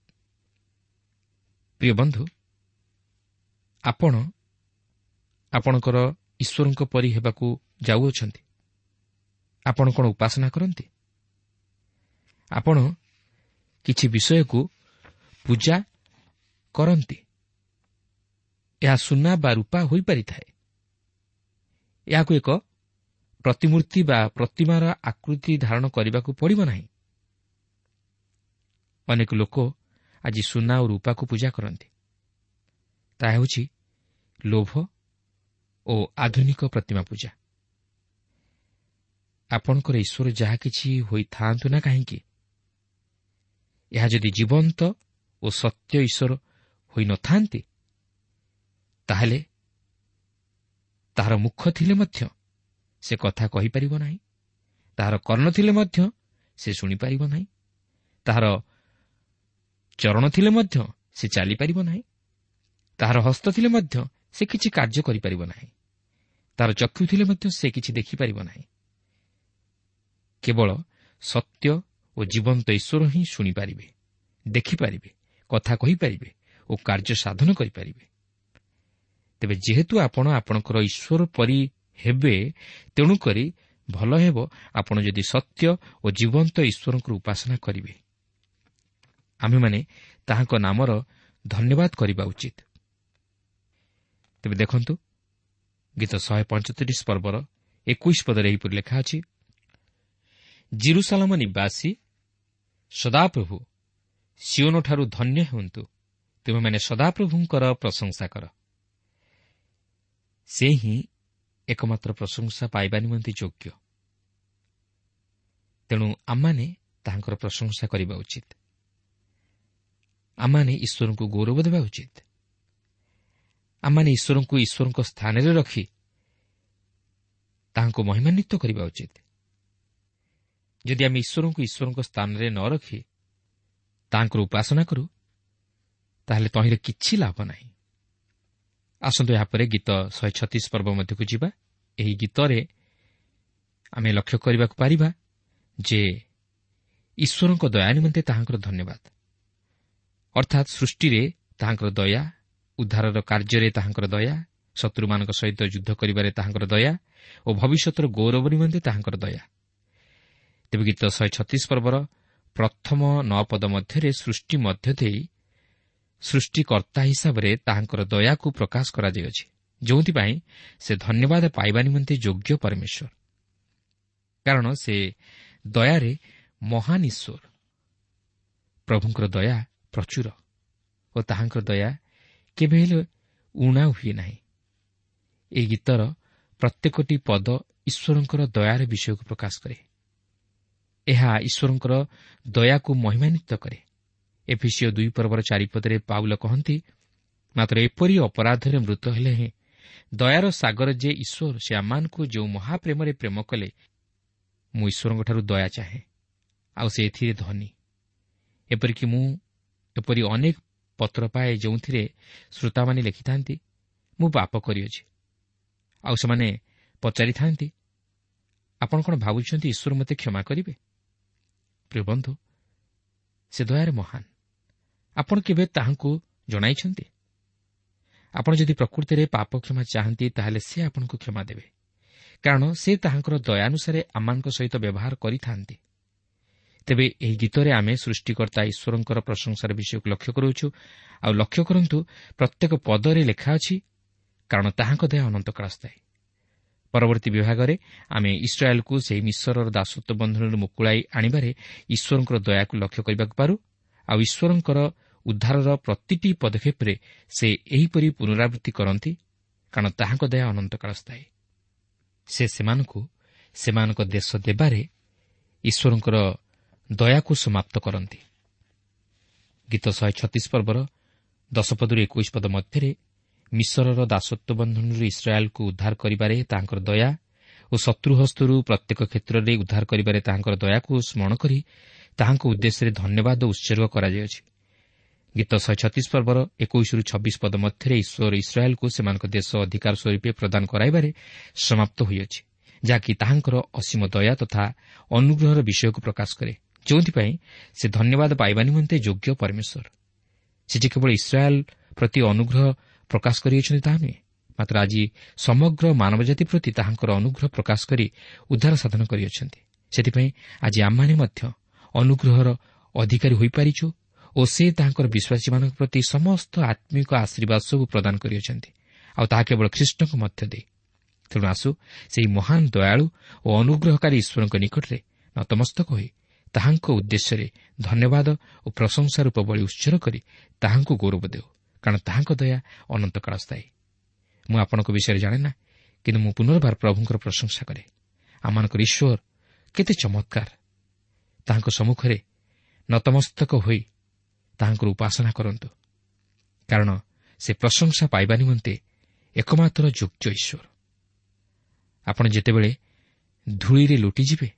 ପ୍ରିୟ ବନ୍ଧୁ, ଆପଣ ଆପଣଙ୍କର ଈଶ୍ୱରଙ୍କ ପରି ହେବାକୁ ଯାଉଅଛନ୍ତି। ଆପଣ କ'ଣ ଉପାସନା କରନ୍ତି? ଆପଣ କିଛି ବିଷୟକୁ ପୂଜା କରନ୍ତି। ଏହା ସୁନା ବା ରୂପା ହୋଇପାରିଥାଏ। ଏହାକୁ ଏକ ପ୍ରତିମୂର୍ତ୍ତି ବା ପ୍ରତିମାର ଆକୃତି ଧାରଣ କରିବାକୁ ପଡ଼ିବ ନାହିଁ। ଅନେକ ଲୋକ ଆଜି ସୁନା ଓ ରୂପାକୁ ପୂଜା କରନ୍ତି। ତାହା ହେଉଛି ଲୋଭ ଓ ଆଧୁନିକ ପ୍ରତିମା ପୂଜା। ଆପଣଙ୍କର ଈଶ୍ୱର ଯାହା କିଛି ହୋଇଥାଆନ୍ତୁ ନା କାହିଁକି, ଏହା ଯଦି ଜୀବନ୍ତ ଓ ସତ୍ୟ ଈଶ୍ୱର ହୋଇନଥାନ୍ତି, ତାହେଲେ ତାହାର ମୁଖ ଥିଲେ ମଧ୍ୟ ସେ କଥା କହିପାରିବ ନାହିଁ, ତାହାର କର୍ଣ୍ଣ ଥିଲେ ମଧ୍ୟ ସେ ଶୁଣିପାରିବ ନାହିଁ, ତାହାର ଚରଣ ଥିଲେ ମଧ୍ୟ ସେ ଚାଲିପାରିବ ନାହିଁ, ତାହାର ହସ୍ତ ଥିଲେ ମଧ୍ୟ ସେ କିଛି କାର୍ଯ୍ୟ କରିପାରିବ ନାହିଁ, ତାହାର ଚକ୍ଷୁ ଥିଲେ ମଧ୍ୟ ସେ କିଛି ଦେଖିପାରିବ ନାହିଁ। କେବଳ ସତ୍ୟ ଓ ଜୀବନ୍ତ ଈଶ୍ୱର ହିଁ ଶୁଣିପାରିବେ, ଦେଖିପାରିବେ, କଥା କହିପାରିବେ ଓ କାର୍ଯ୍ୟ ସାଧନ କରିପାରିବେ। ତେବେ ଯେହେତୁ ଆପଣ ଆପଣଙ୍କର ଈଶ୍ୱର ପରି ହେବେ, ତେଣୁକରି ଭଲ ହେବ ଆପଣ ଯଦି ସତ୍ୟ ଓ ଜୀବନ୍ତ ଈଶ୍ୱରଙ୍କର ଉପାସନା କରିବେ। ଆମ୍ଭେମାନେ ତାହାଙ୍କ ନାମର ଧନ୍ୟବାଦ କରିବା ଉଚିତ। ତେବେ ଦେଖନ୍ତୁ, ଗୀତ ଶହେ ପଞ୍ଚତିରିଶ ପର୍ବର ଏକୋଇଶ ପଦରେ ଏହିପରି ଲେଖା ଅଛି, ଜିରୁସାଲମ ନିବାସୀ ସଦାପ୍ରଭୁ ସିଓନଠାରୁ ଧନ୍ୟ ହୁଅନ୍ତୁ, ତୁମେମାନେ ସଦାପ୍ରଭୁଙ୍କର ପ୍ରଶଂସା କର। ସେ ହିଁ ଏକମାତ୍ର ପ୍ରଶଂସା ପାଇବା ନିମନ୍ତେ ଯୋଗ୍ୟ। ତେଣୁ ଆମମାନେ ତାହାଙ୍କର ପ୍ରଶଂସା କରିବା ଉଚିତ। ଆମମାନେ ଈଶ୍ୱରଙ୍କୁ ଗୌରବ ଦେବା ଉଚିତ। ଆମମାନେ ଈଶ୍ୱରଙ୍କୁ ଈଶ୍ୱରଙ୍କ ସ୍ଥାନରେ ରଖି ତାହାଙ୍କୁ ମହିମାନ୍ୱିତ କରିବା ଉଚିତ। ଯଦି ଆମେ ଈଶ୍ୱରଙ୍କୁ ଈଶ୍ୱରଙ୍କ ସ୍ଥାନରେ ନ ରଖି ତାହାଙ୍କର ଉପାସନା କରୁ, ତାହେଲେ ତହିଁରେ କିଛି ଲାଭ ନାହିଁ। ଆସନ୍ତୁ ଏହାପରେ ଗୀତ ଶହେ ଛତିଶ ପର୍ବ ମଧ୍ୟକୁ ଯିବା। ଏହି ଗୀତରେ ଆମେ ଲକ୍ଷ୍ୟ କରିବାକୁ ପାରିବା ଯେ ଈଶ୍ୱରଙ୍କ ଦୟା ନିମନ୍ତେ ତାହାଙ୍କର ଧନ୍ୟବାଦ, ଅର୍ଥାତ୍ ସୃଷ୍ଟିରେ ତାହାଙ୍କର ଦୟା, ଉଦ୍ଧାରର କାର୍ଯ୍ୟରେ ତାହାଙ୍କର ଦୟା, ଶତ୍ରୁମାନଙ୍କ ସହିତ ଯୁଦ୍ଧ କରିବାରେ ତାହାଙ୍କର ଦୟା ଓ ଭବିଷ୍ୟତର ଗୌରବ ନିମନ୍ତେ ତାହାଙ୍କର ଦୟା। ତେବେ ଗୀତ ଶହେ ଛତିଶ ପର୍ବର ପ୍ରଥମ ନଅ ପଦ ମଧ୍ୟରେ ସୃଷ୍ଟି ମଧ୍ୟ ଦେଇ ସୃଷ୍ଟିକର୍ତ୍ତା ହିସାବରେ ତାହାଙ୍କର ଦୟାକୁ ପ୍ରକାଶ କରାଯାଇଅଛି, ଯେଉଁଥିପାଇଁ ସେ ଧନ୍ୟବାଦ ପାଇବା ନିମନ୍ତେ ଯୋଗ୍ୟ ପରମେଶ୍ୱର, କାରଣ ସେ ଦୟାରେ ମହାନ ଈଶ୍ୱର। ପ୍ରଭୁଙ୍କର ଦୟା ପ୍ରଚୁର ଓ ତାହାଙ୍କର ଦୟା କେବେ ହେଲେ ଊଣା ହୁଏ ନାହିଁ। ଏହି ଗୀତର ପ୍ରତ୍ୟେକଟି ପଦ ଈଶ୍ୱରଙ୍କର ଦୟାର ବିଷୟକୁ ପ୍ରକାଶ କରେ। ଏହା ଈଶ୍ୱରଙ୍କର ଦୟାକୁ ମହିମାନ୍ୱିତ କରେ। ଏଫିସିଓ ଦୁଇ ପର୍ବର ଚାରିପଦରେ ପାଉଲ କହନ୍ତି, ମାତ୍ର ଏପରି ଅପରାଧରେ ମୃତ ହେଲେ ହେଁ ଦୟାର ସାଗର ଯେ ଈଶ୍ୱର, ସେ ଆମମାନଙ୍କୁ ଯେଉଁ ମହାପ୍ରେମରେ ପ୍ରେମ କଲେ, ମୁଁ ଈଶ୍ୱରଙ୍କଠାରୁ ଦୟା ଚାହେଁ, ଆଉ ସେ ଏଥିରେ ଧନୀ। ଏପରିକି ମୁଁ ଏପରି ଅନେକ ପତ୍ର ପାଏ ଯେଉଁଥିରେ ଶ୍ରୋତାମାନେ ଲେଖିଥାନ୍ତି, ମୁଁ ପାପ କରିଅଛି, ଆଉ ସେମାନେ ପଚାରିଥାନ୍ତି, ଆପଣ କ'ଣ ଭାବୁଛନ୍ତି ଈଶ୍ୱର ମୋତେ କ୍ଷମା କରିବେ? ପ୍ରିୟ ବନ୍ଧୁ, ସେ ଦୟାରେ ମହାନ। ଆପଣ କେବେ ତାହାଙ୍କୁ ଜଣାଇଛନ୍ତି? ଆପଣ ଯଦି ପ୍ରକୃତିରେ ପାପ କ୍ଷମା ଚାହାନ୍ତି, ତାହେଲେ ସେ ଆପଣଙ୍କୁ କ୍ଷମା ଦେବେ, କାରଣ ସେ ତାହାଙ୍କର ଦୟାନୁସାରେ ଆମମାନଙ୍କ ସହିତ ବ୍ୟବହାର କରିଥାନ୍ତି। ତେବେ ଏହି ଗୀତରେ ଆମେ ସୃଷ୍ଟିକର୍ତ୍ତା ଈଶ୍ୱରଙ୍କର ପ୍ରଶଂସାର ବିଷୟକୁ ଲକ୍ଷ୍ୟ କରୁଅଛୁ। ଆଉ ଲକ୍ଷ୍ୟ କରନ୍ତୁ, ପ୍ରତ୍ୟେକ ପଦରେ ଲେଖା ଅଛି, କାରଣ ତାହାଙ୍କ ଦୟା ଅନନ୍ତକାଳ ସ୍ଥାୟୀ। ପରବର୍ତ୍ତୀ ବିଭାଗରେ ଆମେ ଇସ୍ରାଏଲକୁ ସେହି ମିଶରର ଦାସତ୍ୱ ବନ୍ଧନରୁ ମୁକୁଳାଇ ଆଣିବାରେ ଈଶ୍ୱରଙ୍କର ଦୟାକୁ ଲକ୍ଷ୍ୟ କରିବାକୁ ପାରୁ, ଆଉ ଈଶ୍ୱରଙ୍କର ଉଦ୍ଧାରର ପ୍ରତିଟି ପଦକ୍ଷେପରେ ସେ ଏହିପରି ପୁନରାବୃତ୍ତି କରନ୍ତି, କାରଣ ତାହାଙ୍କ ଦୟା ଅନନ୍ତକାଳ ସ୍ଥାୟୀ। ସେ ସେମାନଙ୍କୁ ସେମାନଙ୍କ ଦେଶ ଦେବାରେ ଈଶ୍ୱରଙ୍କର ଦୟାକୁ ସମାପ୍ତ କରନ୍ତି। ଗୀତ ଶହେ ଛତିଶ ପର୍ବର ଦଶ ପଦରୁ ଏକୋଇଶ ପଦ ମଧ୍ୟରେ ମିଶରର ଦାସତ୍ୱ ବନ୍ଧନରୁ ଇସ୍ରାଏଲ୍କୁ ଉଦ୍ଧାର କରିବାରେ ତାହାଙ୍କର ଦୟା ଓ ଶତ୍ରୁହସ୍ତରୁ ପ୍ରତ୍ୟେକ କ୍ଷେତ୍ରରେ ଉଦ୍ଧାର କରିବାରେ ତାହାଙ୍କର ଦୟାକୁ ସ୍ମରଣ କରି ତାହାଙ୍କ ଉଦ୍ଦେଶ୍ୟରେ ଧନ୍ୟବାଦ ଉତ୍ସର୍ଗ କରାଯାଇଅଛି। ଗୀତ ଶହେ ଛତିଶ ପର୍ବର ଏକୋଇଶରୁ ଛବିଶ ପଦ ମଧ୍ୟରେ ଈଶ୍ୱର ଇସ୍ରାଏଲ୍କୁ ସେମାନଙ୍କ ଦେଶ ଅଧିକାର ସ୍ୱରୂପେ ପ୍ରଦାନ କରାଇବାରେ ସମାପ୍ତ ହୋଇଅଛି, ଯାହାକି ତାହାଙ୍କର ଅସୀମ ଦୟା ତଥା ଅନୁଗ୍ରହର ବିଷୟକୁ ପ୍ରକାଶ କରେ, ଯେଉଁଥିପାଇଁ ସେ ଧନ୍ୟବାଦ ପାଇବା ନିମନ୍ତେ ଯୋଗ୍ୟ ପରମେଶ୍ୱର। ସେ ଯେ କେବଳ ଇସ୍ରାଏଲ୍ ପ୍ରତି ଅନୁଗ୍ରହ ପ୍ରକାଶ କରିଅଛନ୍ତି ତାହା ନୁହେଁ, ମାତ୍ର ଆଜି ସମଗ୍ର ମାନବଜାତି ପ୍ରତି ତାହାଙ୍କର ଅନୁଗ୍ରହ ପ୍ରକାଶ କରି ଉଦ୍ଧାର ସାଧନ କରିଅଛନ୍ତି। ସେଥିପାଇଁ ଆଜି ଆମମାନେ ମଧ୍ୟ ଅନୁଗ୍ରହର ଅଧିକାରୀ ହୋଇପାରିଛୁ ଓ ସେ ତାହାଙ୍କର ବିଶ୍ୱାସୀମାନଙ୍କ ପ୍ରତି ସମସ୍ତ ଆତ୍ମିକ ଆଶୀର୍ବାଦ ସବୁ ପ୍ରଦାନ କରିଅଛନ୍ତି, ଆଉ ତାହା କେବଳ ଖ୍ରୀଷ୍ଟଙ୍କ ମଧ୍ୟ ଦେଇ। ତେଣୁ ଆସୁ ସେହି ମହାନ ଦୟାଳୁ ଓ ଅନୁଗ୍ରହକାରୀ ଈଶ୍ୱରଙ୍କ ନିକଟରେ ନତମସ୍ତକ ହୋଇ ତାହାଙ୍କ ଉଦ୍ଦେଶ୍ୟରେ ଧନ୍ୟବାଦ ଓ ପ୍ରଶଂସା ରୂପ ବଳି ଉତ୍ସର୍ଗ କରି ତାହାଙ୍କୁ ଗୌରବ ଦେଉ, କାରଣ ତାହାଙ୍କ ଦୟା ଅନନ୍ତକାଳ ସ୍ଥାୟୀ। ମୁଁ ଆପଣଙ୍କ ବିଷୟରେ ଜାଣେ ନା, କିନ୍ତୁ ମୁଁ ପୁନର୍ବାର ପ୍ରଭୁଙ୍କର ପ୍ରଶଂସା କରେ। ଆମମାନଙ୍କର ଈଶ୍ୱର କେତେ ଚମତ୍କାର! ତାହାଙ୍କ ସମ୍ମୁଖରେ ନତମସ୍ତକ ହୋଇ ତାହାଙ୍କର ଉପାସନା କରନ୍ତୁ, କାରଣ ସେ ପ୍ରଶଂସା ପାଇବା ନିମନ୍ତେ ଏକମାତ୍ର ଯୋଗ୍ୟ ଈଶ୍ୱର। ଆପଣ ଯେତେବେଳେ ଧୂଳିରେ ଲୁଟିଯିବେ,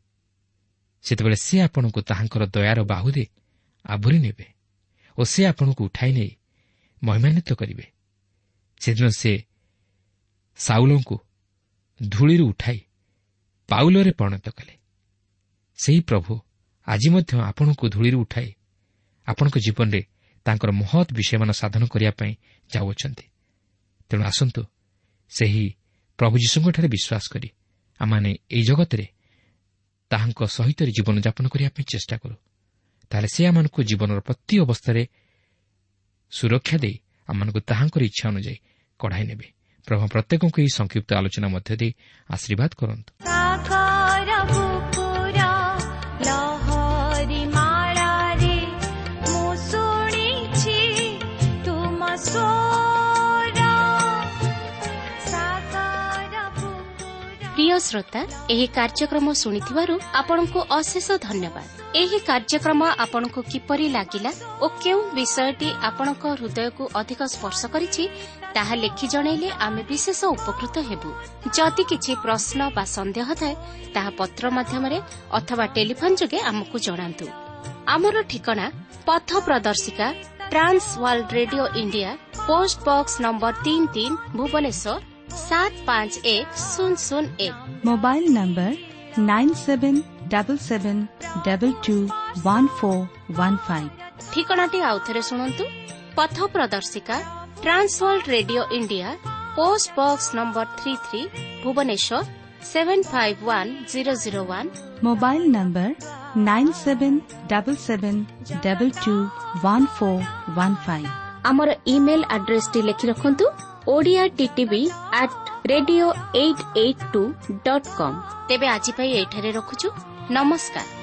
ସେତେବେଳେ ସେ ଆପଣଙ୍କୁ ତାହାଙ୍କର ଦୟାର ବାହୁରେ ଆବୋରି ନେବେ ଓ ସେ ଆପଣଙ୍କୁ ଉଠାଇ ନେଇ ମହିମାନ୍ୱିତ କରିବେ। ସେଦିନ ସେ ସାଉଲଙ୍କୁ ଧୂଳିରୁ ଉଠାଇ ପାଉଲରେ ପରିଣତ କଲେ। ସେହି ପ୍ରଭୁ ଆଜି ମଧ୍ୟ ଆପଣଙ୍କୁ ଧୂଳିରୁ ଉଠାଇ ଆପଣଙ୍କ ଜୀବନରେ ତାଙ୍କର ମହତ୍ ବିଷୟମାନ ସାଧନ କରିବା ପାଇଁ ଯାଉଅଛନ୍ତି। ତେଣୁ ଆସନ୍ତୁ ସେହି ପ୍ରଭୁ ଯୀଶୁଙ୍କଠାରେ ବିଶ୍ୱାସ କରି ଆମମାନେ ଏହି ଜଗତରେ ତାହାଙ୍କ ସହିତ ଜୀବନଯାପନ କରିବା ପାଇଁ ଚେଷ୍ଟା କରୁ। ତାହେଲେ ସେ ଆମମାନଙ୍କୁ ଜୀବନର ପ୍ରତି ଅବସ୍ଥାରେ ସୁରକ୍ଷା ଦେଇ ଆମମାନଙ୍କୁ ତାହାଙ୍କର ଇଚ୍ଛା ଅନୁଯାୟୀ କଢ଼ାଇ ନେବେ। ପ୍ରଭୁ ପ୍ରତ୍ୟେକଙ୍କୁ ଏହି ସଂକ୍ଷିପ୍ତ ଆଲୋଚନା ମଧ୍ୟ ଦେଇ ଆଶୀର୍ବାଦ କରନ୍ତୁ। ପ୍ରିୟ ଶ୍ରୋତା, ଏହି କାର୍ଯ୍ୟକ୍ରମ ଶୁଣିଥିବାରୁ ଆପଣଙ୍କୁ ଅଶେଷ ଧନ୍ୟବାଦ। ଏହି କାର୍ଯ୍ୟକ୍ରମ ଆପଣଙ୍କୁ କିପରି ଲାଗିଲା ଓ କେଉଁ ବିଷୟଟି ଆପଣଙ୍କ ହୃଦୟକୁ ଅଧିକ ସ୍ପର୍ଶ କରିଛି ତାହା ଲେଖି ଜଣାଇଲେ ଆମେ ବିଶେଷ ଉପକୃତ ହେବୁ। ଯଦି କିଛି ପ୍ରଶ୍ନ ବା ସନ୍ଦେହ ଥାଏ, ତାହା ପତ୍ର ମାଧ୍ୟମରେ ଅଥବା ଟେଲିଫୋନ୍ ଯୋଗେ ଆମକୁ ଜଣାନ୍ତୁ। ଆମର ଠିକଣା ପଥ ପ୍ରଦର୍ଶିକା, Trans World Radio India, post box number ତିନି ତିନି, ଭୁବନେଶ୍ୱର ସାତ ପାଞ୍ଚ ଏକ ଶୂନ ଶୂନ ଏକ। Mobile number nine seven double seven double two one four one five. ଠିକଣାଟି ଆଉଥରେ ଶୁଣନ୍ତୁ। ପଥ ପ୍ରଦର୍ଶିକା, Trans World Radio India, post box number three three, Bhubaneswar seven five one zero zero one. Mobile number nine seven double seven double two one four one five. ଆମର email ଆଡ୍ରେସଟି ଲେଖି ରଖନ୍ତୁ, Odia TTV at radio eight eight two dot com. ତେବେ ଆଜି ପାଇଁ ଏଇଠାରେ ରଖୁଛୁ। ନମସ୍କାର।